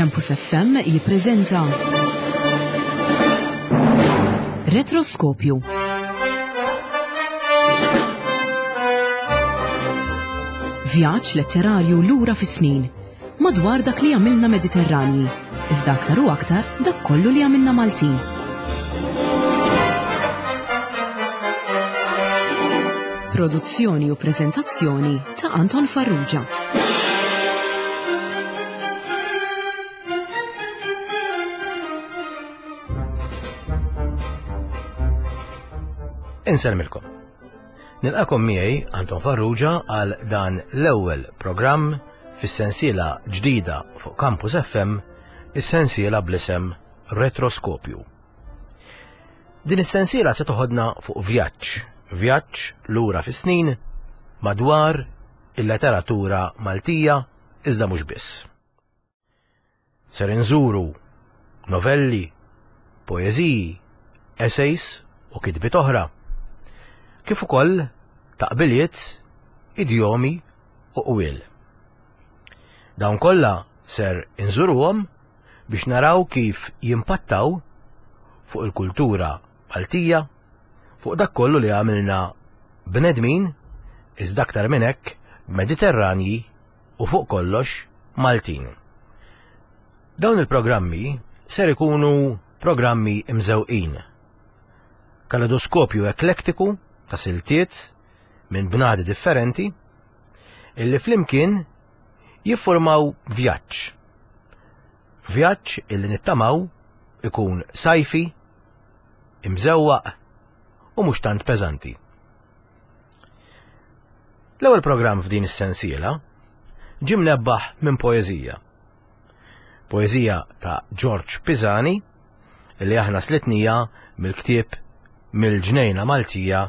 Campus FM jippreżenta Retroskopju. Vjaġġ letterarju lura fis-snin madwar dak li għamilna Mediterranji, iżda aktar u aktar dak kollu li għamilna Maltin. Produzzjoni u preżentazzjoni ta' Anton Farrugia. Insellmilkom. Nilqakom miegħi Anton Farrugia għal dan l-ewwel programm fis-sensiela ġdida fuq Campus FM, is-sensiela bl-isem Retroskopju. Din is-sensiela se toħodna fuq vjaġġ, vjaġġ lura fis-snin madwar il-letteratura Maltija iżda mhux biss. Ser inżuru novelli, poeżiji, essays u kitbiet oħra, kif ukoll taqbiliet, idjomi u qwiel. Dawn kollha ser inżuruhom biex naraw kif jimpattaw fuq il-kultura Maltija, fuq dak kollu li għamilna bnedmin, iżda aktar minn hekk Mediterranji u fuq kollox Maltin. Dawn il-programmi ser ikunu programmi imżewqin. Kaledoskopju eklektiku ta' siltiet minn bnadi differenti illi flimkien jiffurmaw vjaġġ. Vjaġġ illi nittamaw ikun sajfi, imżewwaq u mhux tant peżanti. L-ewwel programm f'din is-sensiela ġie mnebbaħ minn poeżija. Poeżija ta' George Pisani li aħna slitnija mill-ktieb Mill-Ġnejna Maltija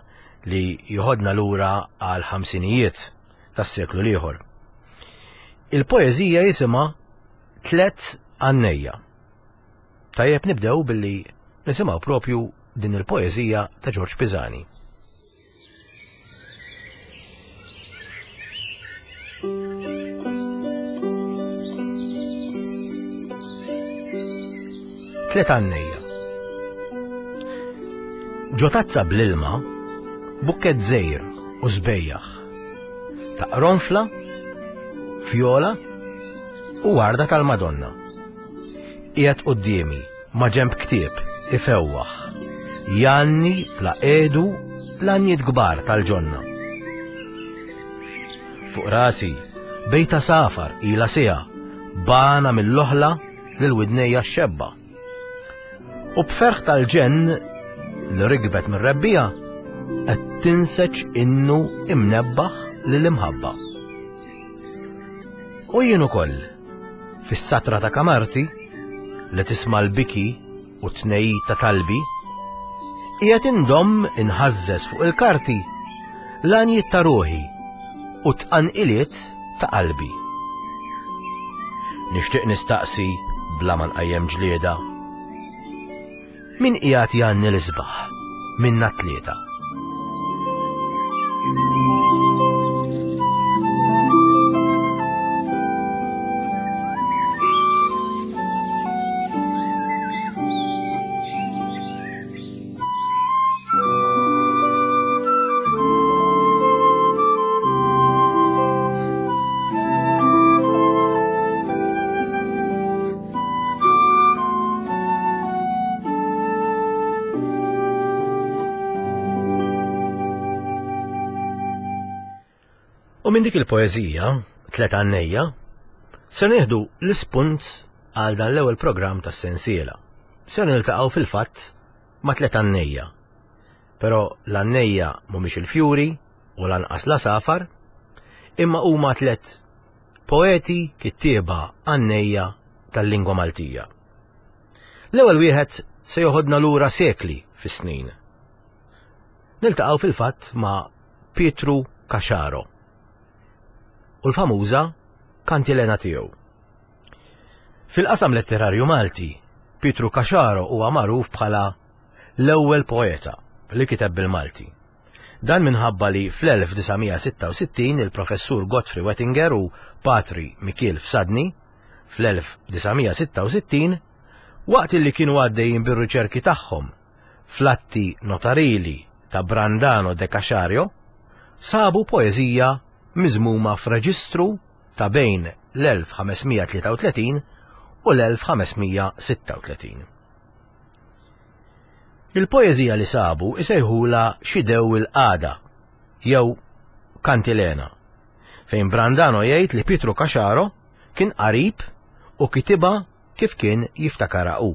li joħodna lura għal ħamsinijiet tas-seklu l-ieħor. Il-poeżija jisimha Tlet Għannejja. Tajjeb nibdew billi nisimgħu propju din il-poeżija ta' George Pisani. Tlet għannejja. Ġo tazza bl-ilma, bukket żejr u żbejjaħ. Ta' qronfla, fjola u warda tal-Madonna. Qiegħed quddiemi ma' ġenb ktieb ifewwaħ, jgħanni bla qiegħdu l-għanjiet kbar tal-ġonna. Fuq rasi, bejta safar ilha siegħa b'għana mill-oħla lil widnejja x-xebba. U b'ferħ tal-ġenn li rikbet mir-rebbiegħa qed tinseġ innu imnebbaħ lill-imħabba. U jien ukoll, fis-satra ta' kamarti, li tisma' l-biki u t-tnejjid ta' talbi, qiegħed indomm inħażżeż fuq il-karti l-għanjiet ta' ruħi u t-tqanqiliet ta' qalbi. Nixtieq nistaqsi bla ma nqajjem ġlieda. Min qiegħed jgħanni l-isbaħ minna tlieta? U minn dik il-poeżija, Tlet Għannejja, ser nieħdu l-ispunt għal dan l-ewwel programm tas-sensiela. Ser niltaqgħu fil-fatt ma' tlet għannejja. Però l-għannejja mhumiex il-fjuri u lanqas l-għasafar, imma huma tlet Poeti, kittieba, għannejja tal-lingwa Maltija. L-ewwel wieħed se joħodna lura sekli fis-snin. Niltaqgħu fil-fatt ma' Pietru Caxaro u l-famuża kantilena tiegħu. Fil-qasam letterarju Malti, Pietru Caxaro huwa magħruf bħala l-ewwel poeta li kiteb bil-Malti. Dan minħabba li fl-1966 il-Professur Godfrey Wettinger u Patri Mikiel Fsadni, Fl-1966, waqt li kienu għaddejjin bir-riċerki tagħhom fl-atti notarili ta' Brandano de Caxario, sabu poeżija miżmuma f'reġistru ta' bejn l-1533 u l-1536. Il-poeżija li sabu isejħulha Xidew il-Qagħda jew Kantilena, fejn Brandano jgħid li Pietru Caxaro kien qarib u kitibha kif kien jiftakarha hu.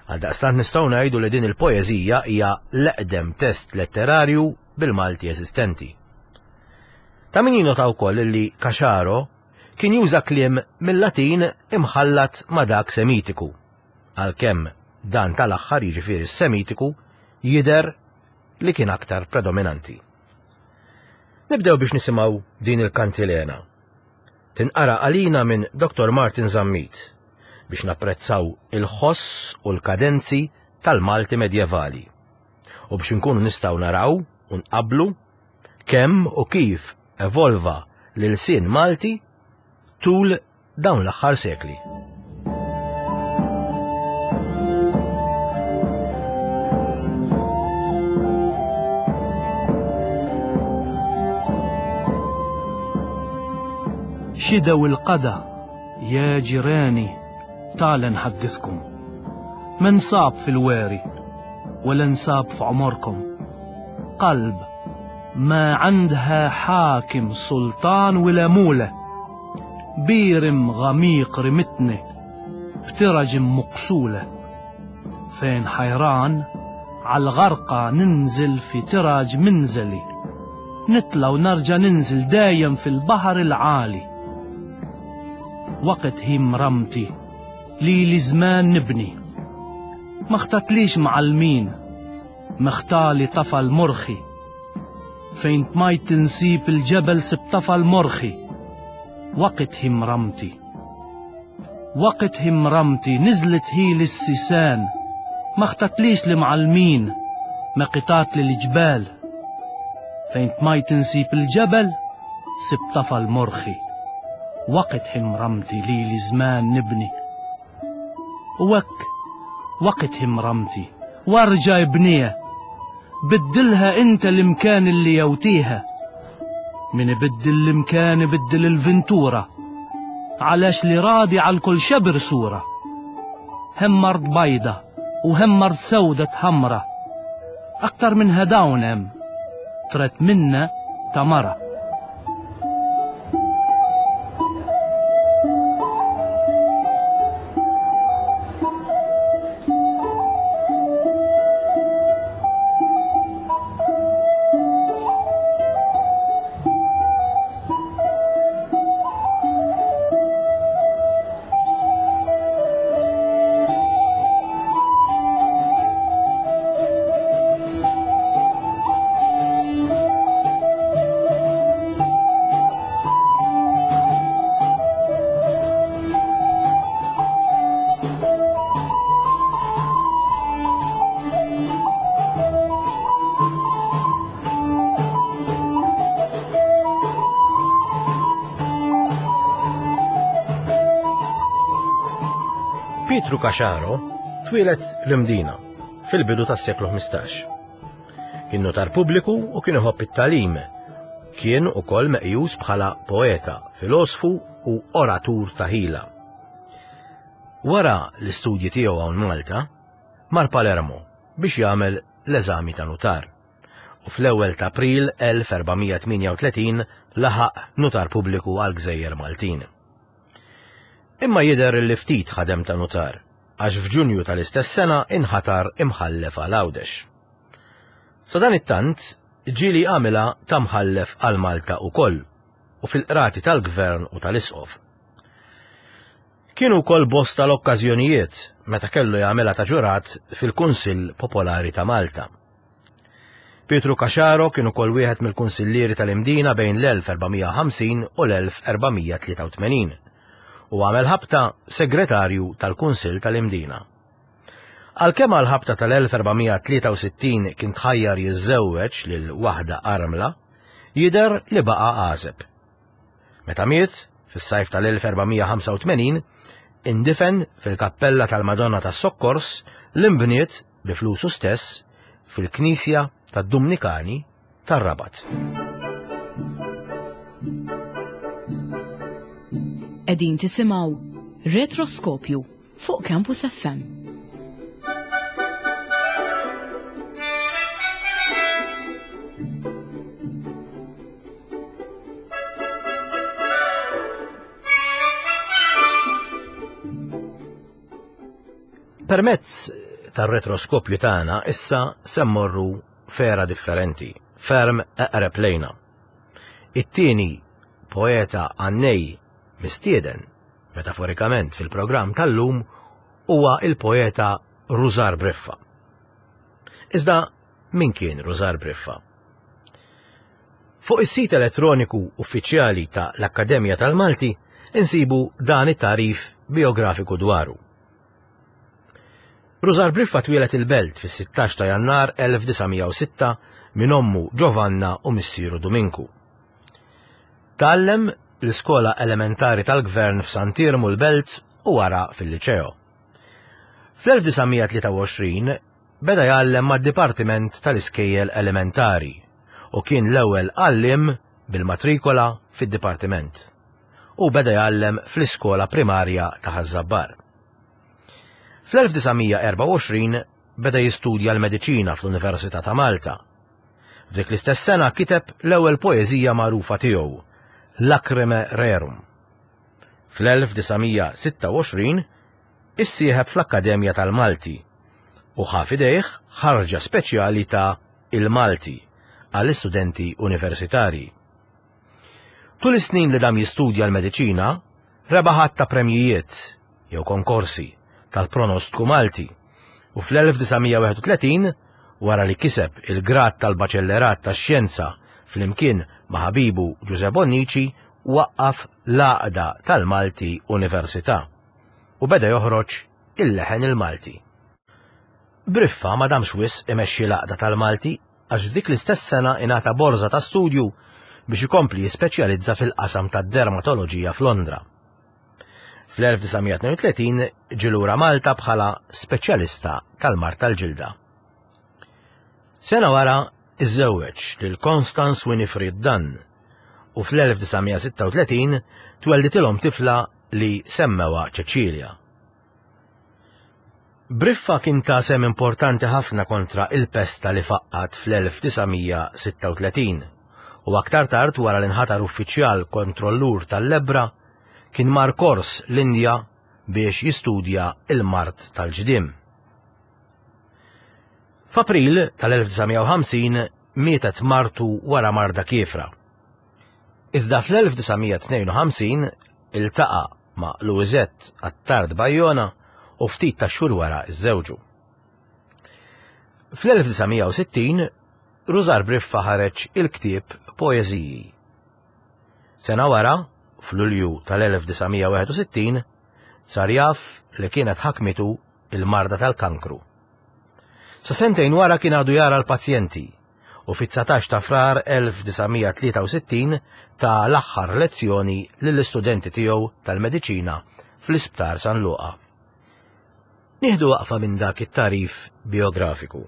Għaldaqstant nistgħu ngħidu li din il-poeżija hija l-eqdem test letterarju bil-Malti eżistenti. Ta' min jinota wkoll li Caxaro kien juża kliem mill-Latin imħallat ma' dak Semitiku, għalkemm dan tal-aħħar jiġifieri s-Semitiku jidher li kien aktar predominanti. Nibdew biex nisimgħu din il-kantilena. Tinqara għalina minn Dr. Martin Zammit biex napprezzaw il-ħoss u l-kadenzi tal-Malti medjevali u biex inkunu nistgħu naraw u nqabblu kemm u kif evolva l-ilsien Malti tul dawn l-aħħar sekli. شدوا القدى يا جيراني تعال نحدثكم من صاب في الواري ولا انصاب في عمركم قلب ما عندها حاكم سلطان ولا مولى بيرم غميق رمتني بترجم مقسولة فين حيران عالغرقة ننزل في تراج منزلي نطلع ونرجع ننزل دايم في البحر العالي وقت هي مرمتي لي زمان نبني ما اختتليش معلمين مختالي طفى المرخي فين ماي تنسيب الجبل سبطفى المرخي وقت هم رمتي وقت هم رمتي نزلت هي للسيسان ما اختتليش لمعلمين ما قطات للجبال فين ماي تنسيب الجبل سبطفى المرخي وقت هم رمتي لي زمان نبني وك وقت هم رمتي وارجع ابنيه بدلها انت المكان اللي يوتيها من بدل المكان بدل الفنتورة علاش لي راضي على الكل شبر صورة هم مرض بيضة وهم مرض سودة حمرة أكتر من هداونم ترت منا تمرة. Pietru Caxaro twieled l-Imdina fil-bidu tas-seklu 15. Kien notar pubbliku u kien iħobb it-tagħlim. Kien ukoll meqjus bħala poeta, filosfu u oratur ta' ħila. Wara l-istudji tiegħu hawn Malta, mar Palermo biex jagħmel l-eżami ta' nutar. U fl-ewwel ta' April 1438 laħaq nutar pubbliku għall-Gżejjer Maltin. Imma jidher li ftit ħadem ta' nutar, għax f'Ġunju tal-istess sena inħatar imħallef għal Għawdex. Sadanittant, ġieli għamilha ta' mħallef għal Malta ukoll u fil-qrati tal-Gvern u tal-Isqof. Kienu wkoll bosta l-okkażjonijiet meta kellu jagħmilha ta' ġurat fil-Kunsill Popolari ta' Malta. Pietru Caxaro kien ukoll wieħed mill-kunsillieri tal-Imdina bejn l-1450 u l-1483 u għamel ħabta segretarju tal-Kunsill tal-Imdina. Għalkemm għall-ħabta tal-1463 kien tħajjar jiżżewweġ lil waħda armla, jidher li baqa' għażeb. Meta miet, Fis-sajf tal-1485 indifen fil-kappella tal-Madonna tas-Sokkors li nbniet bi flusu stess fil-knisja tad-Dumnikani tar-Rabat. Qegħdin tisimgħu Retroskopju fuq Campus FM. Permezz tar-retroskopju tagħna issa se mmorru f'era differenti, ferm eqreb lejna. It-tieni poeta għannej mistieden, metaforikament fil-programm tal-lum, huwa il-poeta Rużar Briffa. Iżda min kien Rużar Briffa? Fuq is-sit elettroniku uffiċjali ta' l-Akkademja tal-Malti insibu dan it-tagħrif bijografiku dwaru. Rużar Briffa twieled il-Belt fis-16 ta' Jannar 1906 minn ommu Giovanna u missieru Duminku. Tgħallem l-iskola elementari tal-Gvern f'Sant'Iermu l-Belt u wara fil-Liċeo. Fl-1923 beda jgħallem mad-Dipartiment tal-Iskejjel Elementari u kien l-ewwel għalliem bil-matrikola fid-dipartiment. Hu beda jgħallem fl-iskola primarja ta' Ħaż-Żabbar. Fl-1924 beda jistudja l-mediċina fl-Università ta' Malta. F'dik l-istess sena kiteb l-ewwel poeżija magħrufa tiegħu, Lacrimae Rerum. Fl-1926 issieħeb fl-Akkademja tal-Malti u ħa f'idejh ħarġa speċjali ta' Il-Malti għall-istudenti universitarji. Tul is-snin li dam jistudja l-mediċina, rebaħ għadd ta' premjijiet jew konkorsi tal-pronostku Malti u fl-1931 wara li kiseb il-grad tal-Baċellerat tax-Xjenza flimkien ma' ħabibu Ġużè Bonnici waqqaf l-Għaqda tal-Malti Università u beda joħroġ il-Leħen il-Malti. Briffa ma damx wisq imexxi l-Għaqda tal-Malti għax f'dik l-istess sena ingħata borża ta' studju biex ikompli jispeċjalizza fil-qasam tad-dermatoloġija f'Londra. Fl-1932 ġie lura Malta bħala speċjalista tal-mard tal-ġilda. Sena wara iżżewweġ lil Constance Winifred Dunn u fl-1936 twelditilhom tifla li semmewha Cecilia. Briffa kien ta sehem importanti ħafna kontra il-pesta li faqqgħet fl-1936 u aktar tard wara li nħatar uffiċjal kontrollur tal-lebbra kien mar kors l-Indja biex jistudja il-mard tal-ġdiem. F'April tal-1950 mietet martu wara marda kiefra. Iżda fl-1952 iltaqa' ma' Louisette Attard Bajona u ftit tax-xhur wara żżewġu. Fl-1960 Rużar Briffa ħareġ il-ktieb Poeżiji. Sena wara, f'Lulju tal-1961, sar jaf li kienet ħakmitu il-marda tal-kankru. Sa sentejn wara kien għadu jara l-pazjenti u fit-19 ta' Frar 1963 ta l-aħħar lezzjoni lill-istudenti tiegħu tal-mediċina fl-Isptar San Luqa. Nieħdu waqfa minn dak it-tagħrif biografiku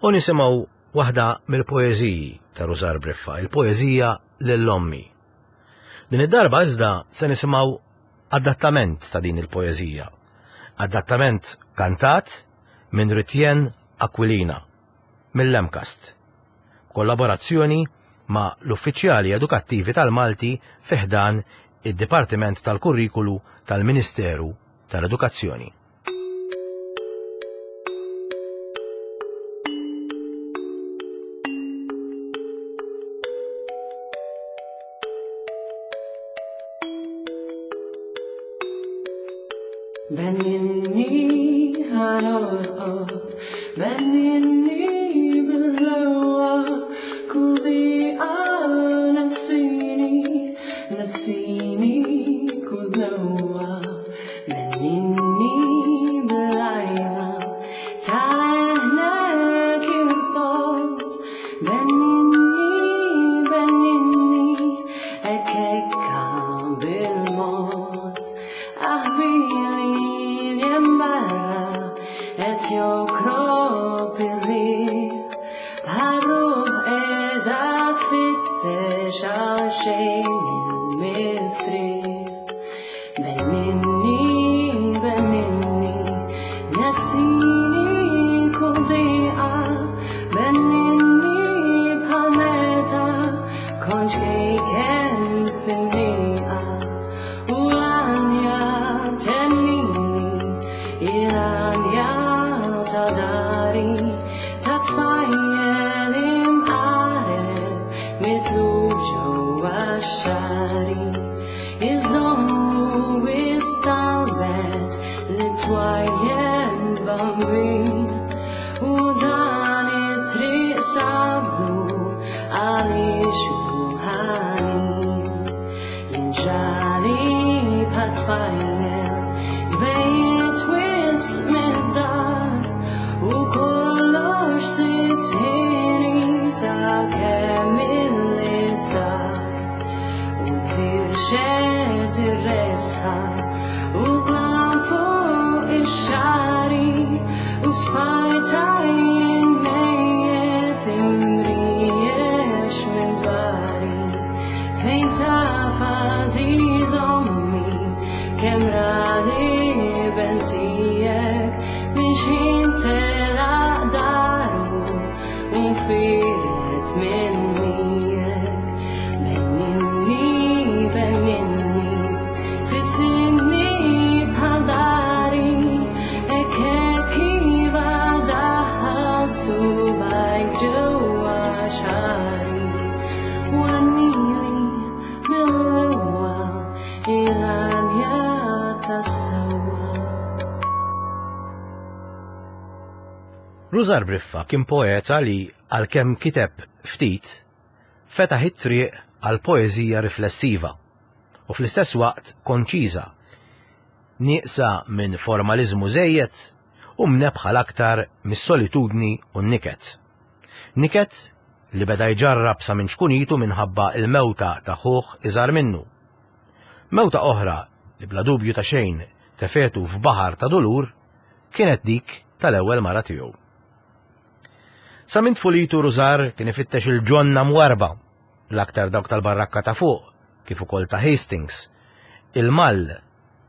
u nisimgħu waħda mill-poeżiji ta' Rużar Briffa, il-poeżija Lil Ommi. Din id-darba iżda se nisimgħu adattament ta' din il-poeżija. Adattament kantat minn Ritjen Aquilina mill-MCAST, b'kollaborazzjoni ma' l-uffiċjali edukattivi tal-Malti fi ħdan id-Dipartiment tal-Kurrikulu tal-Ministeru tal-Edukazzjoni. Benninni ħanorqod, benninni bil-ħlewwa, kull diqa nessini, nessini kull dnewwa. Benninni bil-għajba ta' leħnek il-tot, benninni, benninni, hekk hekk bil. għal xejn il-mistrieħ. Benninni, benninni, nessini kull diqa, benninni bħal meta kont ċkejken fin-nieqa. U l-għanja tennini, il-għanja ta' dari, ta' tfajjel imqareb, mitluf ġewwa x-xagħri. Iżommu istalbet li twajjel bambin u dan it-triq sablu għaliex hu ħanin. Jinġrali bħal tfajjel tbejjed wisq mid-dar u kollox sibt ħini sakemm illi sar. U nfirxet ir-resħa u dlam fuq ix-xagħri u sfajta jien mejjet imriex minn dwari. Fejn taf għażiż ommi kemm rali bentijek minn x'ħin telaq daru u nfiret minn miegħek. Benninni, benninni, fissinni bħal dari, hekk hekk iva daħħal subgħajk ġewwa xagħri. U għannili mill-ewwa il-għanja tas-sewwa. Rużar Briffa kien poeta li, għalkemm kiteb ftit, fetaħ it-triq għal poeżija riflessiva u fl-istess waqt konċiża, nieqsa minn formaliżmu żejjed u mnebbħa l-aktar mis-solitudni u n-niket. Niket li beda jġarrab sa minn ċkunitu minħabba l-mewta ta' ħuh iżgħar minnu. Mewta oħra li bla dubju ta' xejn tefgħetu f'baħar ta' dulur kienet dik tal-ewwel mara tiegħu. Sa minn tfulitu Rużar kien ifittex il-ġonna mwarrba, l-aktar dawk tal-Barrakka ta' Fuq, kif ukoll ta' Hastings, il-Mall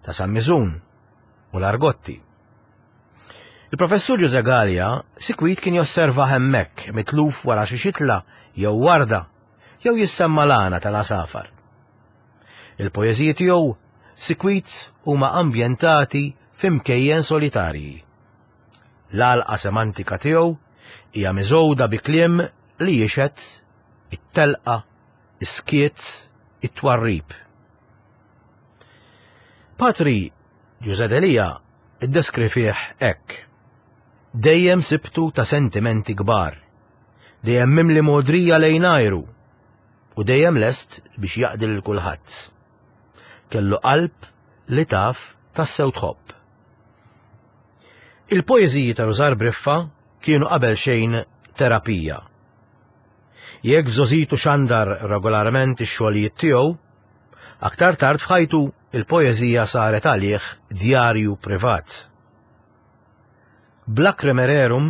ta' San Miżun u l-Argotti. Il-Professur Ġużè Galea sikwit kien josservah hemmhekk mitluf wara xi xitla jew warda jew jissemma' l-għana tal-għasafar. Il-poeżiji tiegħu sikwit huma ambjentati f'imkejjen solitarji. L-għalqa semantika tiegħu hija miżgħuda bi kliem li jixhed it-telqa, is-skiet, it-twarrib. Patri Ġużè Delia ddeskrivih hekk, Dejjem sibtu ta' sentimenti kbar, dejjem mimli mogħdrija lejn għajru u dejjem lest biex jaqdi lil kulħadd. Kellu qalb li taf tassew tħobb. Il-poeżiji ta' Rużar Briffa kienu qabel xejn terapija. Jekk f'żgħożitu xandar regolarment ix-xogħlijiet tiegħu, aktar tard f'ħajtu il-poeżija saret għalih djarju privat. B'Lacrimae Rerum,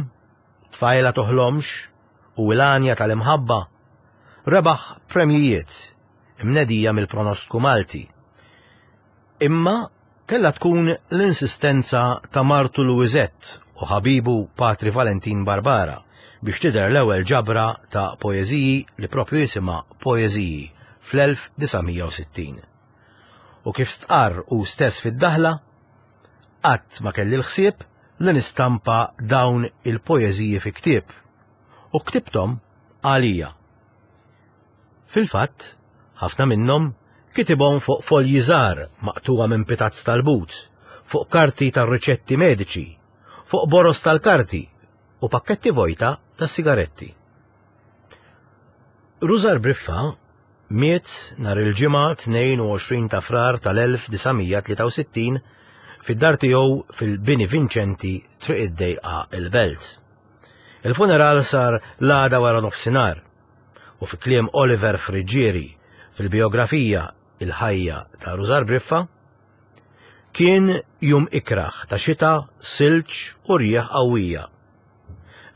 Tfajla Toħlomx u Il-Għanja tal-Imħabba rebaħ premjijiet imnedija mill-Pronostku Malti. Imma kellha tkun l-insistenza ta' martu Louisette u ħabibu Patri Valentin Barbara biex tidher l-ewwel ġabra ta' poeżiji li proprju jisimha Poeżiji fl-1960. U kif stqarr hu stess fid-daħla, Qatt ma kelli l-ħsieb li nistampa dawn il-poeżiji fi ktieb, u ktibthom għalija. Fil-fatt, ħafna minnhom kitibhom fuq folji żgħar maqtugħa minn pitazz tal-but, fuq karti tar-riċetti mediċi, fuq boroż tal-karti u pakketti vojta tas-sigaretti. Rużar Briffa miet nhar il-Ġimgħa 22 ta' Frar tal-1963 fid-dar tiegħu fil-Bini Vinċenti, Triq id-Dejqa, il-Belt. Il-funeral sar l-għada wara nofsinhar u fi kliem Oliver Friggieri fil-bijografija Il-Ħajja ta' Rużar Briffa, kien jum ikrah ta' xita, silġ u rjieħ qawwija.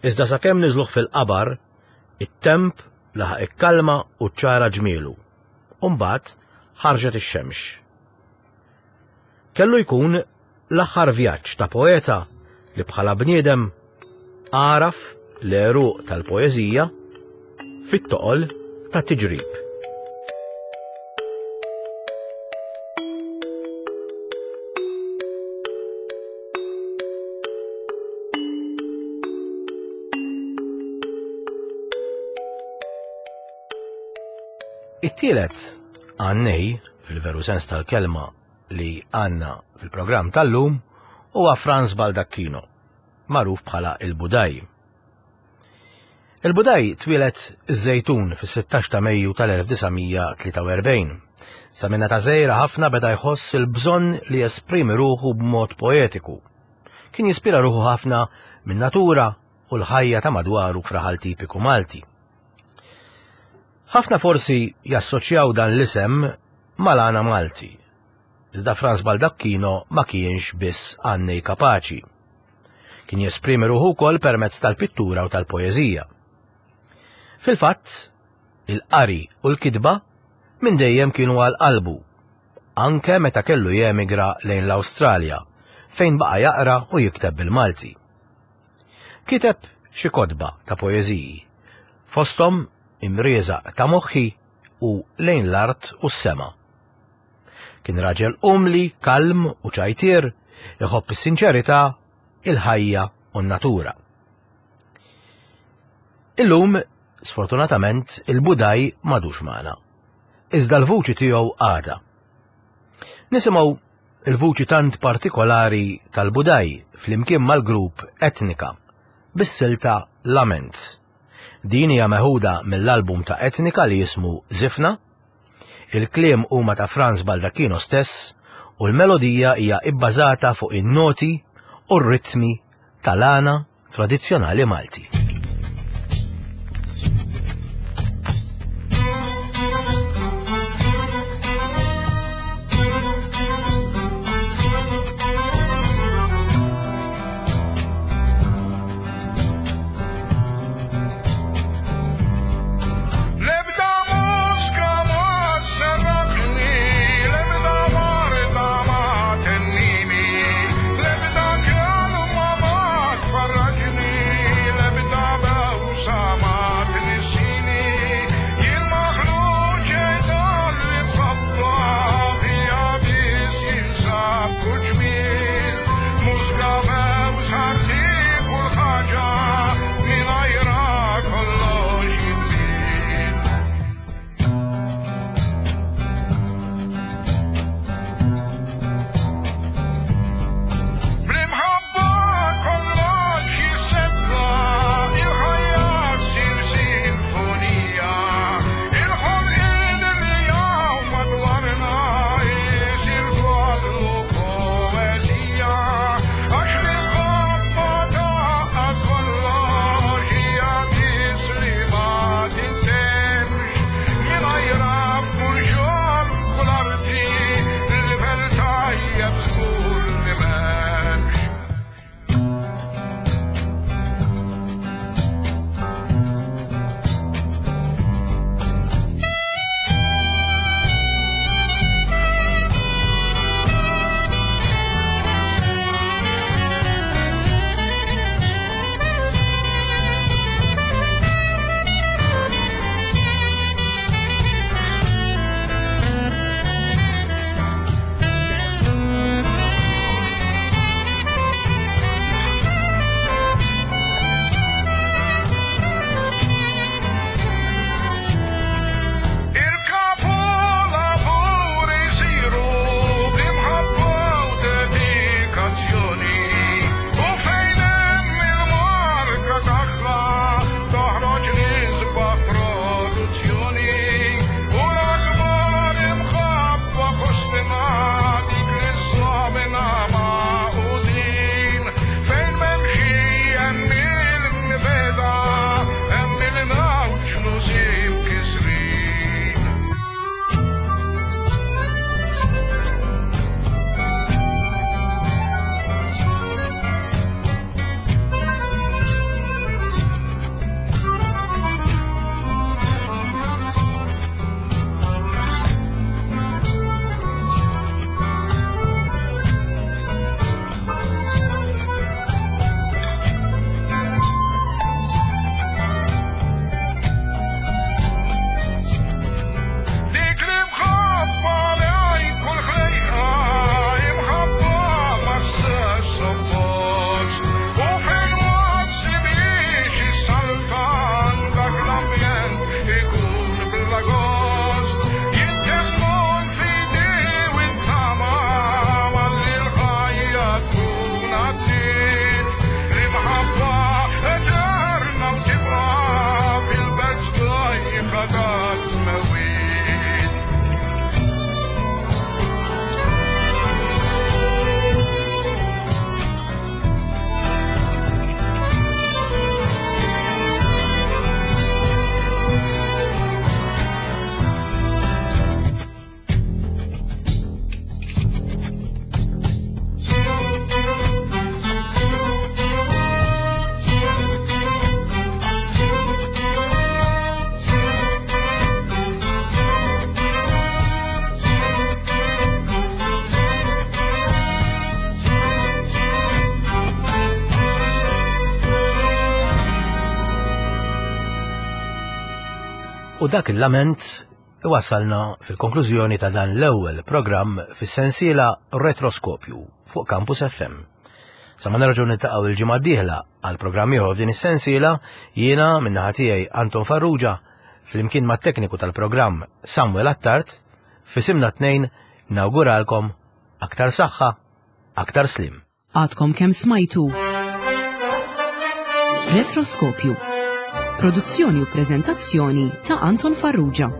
Iżda sakemm niżluh fil-qabar, it-temp. laħaq ikkalma u ċċara ġmielu, u mbagħad ħarġet ix-xemx. Kellu jkun l-aħħar vjaġġ ta' poeta li bħala bniedem għaraf l-għeruq tal-poeżija fit-toqol tat-tiġrib. It-tielet għannej, fil-veru sens tal-kelma li għandna fil-programm tal-lum, huwa Franz Baldacchino, magħruf bħala il-Budaj. Il-Budaj twieled iż-Żejtun fis-16 ta' Mejju tal-1943. Sa minn età żgħira ħafna beda jħoss il-bżonn li jesprimi ruħu b'mod poetiku. Kien jispira ruħu ħafna min-natura u l-ħajja ta' madwaru f'raħal tipiku Malti. Ħafna forsi jassoċjaw dan l-isem mal-għana Malti. Iżda Franz Baldacchino ma kienx biss għannej kapaċi. Kien jesprimi ruħu wkoll permezz tal-pittura u tal-poeżija. Fil-fatt, il-qari u l-kitba minn dejjem kienu għal qalbu, anke meta kellu jemigra lejn l-Awstralja, fejn baqa' jaqra u jikteb bil-Malti. Kiteb xi kotba ta' poeżiji, fosthom Imrieżaq ta' moħħi u Lejn l-art u s-sema. Kien raġel umli, kalm u ċajtier, iħobb is-sinċerità, il-ħajja u n-natura. Illum, sfortunatament, il-Budaj m'għadux magħna. Iżda l-vuċi tiegħu għadha. Nisimgħu il-vuċi tant partikolari tal-Budaj flimkien mal-grupp Etnika bis-silta Lament. Din hija meħuda mill-album ta' Etnika li jismu Żifna. Il-kliem huma ta' Franz Baldacchino stess u l-melodija hija ibbażata fuq in-noti u r-ritmi tal-għana tradizzjonali Malti. L-ebda mużika ma sserraħni, l-ebda warda ma tennini, l-ebda kelma ma tfarraġni, l-ebda U dak il-lament iwassalna fil-konklużjoni ta' dan l-ewwel programm fis-sensiela Retroskopju fuq Campus FM. Sa ma nerġgħu niltaqgħu il-ġimgħa d-dieħla għal programm ieħor f'din is-sensiela, jiena min-naħa tiegħi Anton Farrugia flimkien mat-tekniku tal-programm Samuel Attard, f'isimna t-tnejn nawguralkom aktar saħħa, aktar sliem. Għadkom kemm smajtu Retroskopju. Produzzjoni u preżentazzjoni ta' Anton Farrugia.